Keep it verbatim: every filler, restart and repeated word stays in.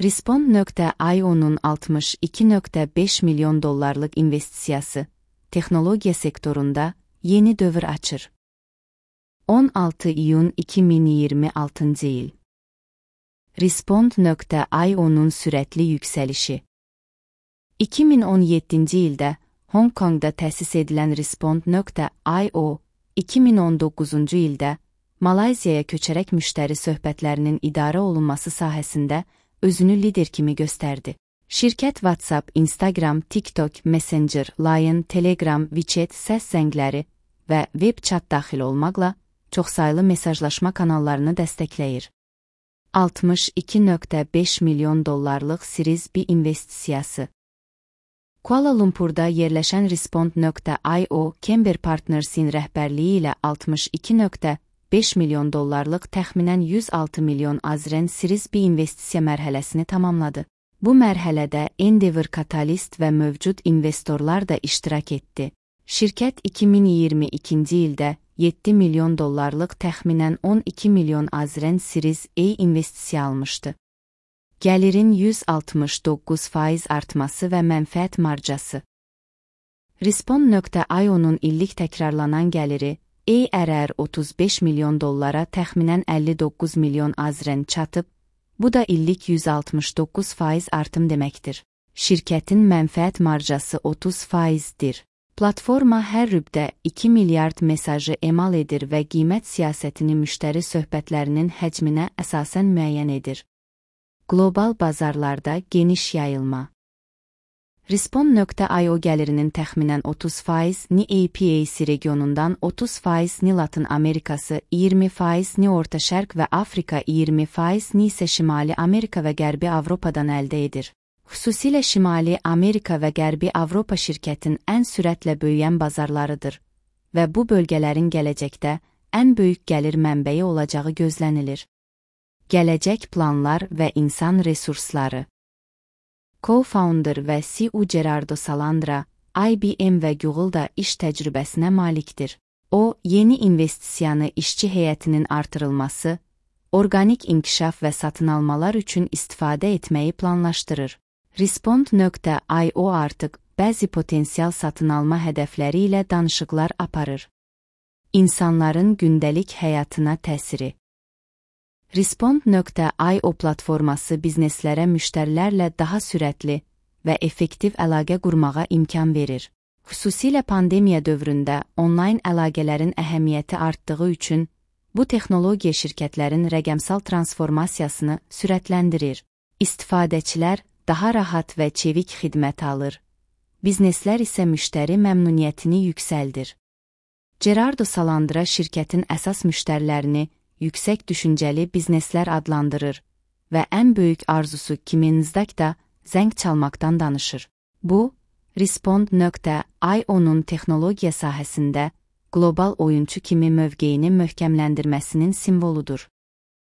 Respond nöqtə i o'nun altmış iki nöqtə beş milyon dollarlıq investisiyası, texnologiya sektorunda yeni dövr açır. on altı iyun iki min iyirmi altıncı il. Respond nöqtə i o'nun sürətli yüksəlişi. iki min on yeddinci ildə Hong Kongda təsis edilən Respond nöqtə i o, iki min on doqquzuncu ildə Malayziyaya köçərək müştəri söhbətlərinin idarə olunması sahəsində özünü lider kimi göstərdi. Şirkət WhatsApp, Instagram, TikTok, Messenger, Line, Telegram, WeChat, səs zəngləri və web chat daxil olmaqla çoxsaylı mesajlaşma kanallarını dəstəkləyir. altmış iki nöqtə beş milyon dollarlıq Series B investisiyası. Kuala Lumpurda yerləşən Respond nöqtə i o, Kember Partners'in rəhbərliyi ilə altmış iki nöqtə beş milyon dollarlıq təxminən yüz altı milyon azren Series B investisiya mərhələsini tamamladı. Bu mərhələdə Endeavor Catalyst və mövcud investorlar da iştirak etdi. Şirkət iki min iyirmi ikinci ildə yeddi milyon dollarlıq təxminən on iki milyon azren Series A investisiya almışdı. Gəlirin yüz altmış doqquz faiz artması və mənfəət marjası. Respond nöqtə i o'nun illik təkrarlanan gəliri A R R otuz beş milyon dollara təxminən əlli doqquz milyon azren çatıb, bu da illik yüz altmış doqquz faiz artım deməkdir. Şirkətin mənfəət marjası otuz faizdir. Platforma hər rübdə iki milyard mesajı emal edir və qiymət siyasətini müştəri söhbətlərinin həcminə əsasən müəyyən edir. Qlobal bazarlarda geniş yayılma. Respond nöqtə i o gəlirinin təxminən otuz faiz N A P A C regionundan, otuz faiz N Latin Amerikası, iyirmi faiz N Orta Şərq və Afrika, iyirmi faiz N isə Şimali Amerika və Qərbi Avropadan əldə edir. Xüsusilə Şimali Amerika və Qərbi Avropa şirkətin ən sürətlə böyüyən bazarlarıdır və bu bölgələrin gələcəkdə ən böyük gəlir mənbəyi olacağı gözlənilir. Gələcək planlar və insan resursları. Co-founder və C E O Gerardo Salandra, I B M və Google-da iş təcrübəsinə malikdir. O, yeni investisiyanı işçi heyətinin artırılması, orqanik inkişaf və satın almalar üçün istifadə etməyi planlaşdırır. Respond nöqtə i o artıq bəzi potensial satın alma hədəfləri ilə danışıqlar aparır. İnsanların gündəlik həyatına təsiri. Respond nöqtə i o platforması bizneslərə müştərilərlə daha sürətli və effektiv əlaqə qurmağa imkan verir. Xüsusilə pandemiya dövründə onlayn əlaqələrin əhəmiyyəti artdığı üçün bu texnologiya şirkətlərin rəqəmsal transformasiyasını sürətləndirir. İstifadəçilər daha rahat və çevik xidmət alır. Bizneslər isə müştəri məmnuniyyətini yüksəldir. Gerardo Salandra şirkətin əsas müştərilərini yüksək düşüncəli bizneslər adlandırır və ən böyük arzusu kimi Nasdaqda zəng çalmaqdan danışır. Bu, Respond nöqtə i o'nun texnologiya sahəsində qlobal oyunçu kimi mövqeyini möhkəmləndirməsinin simvoludur.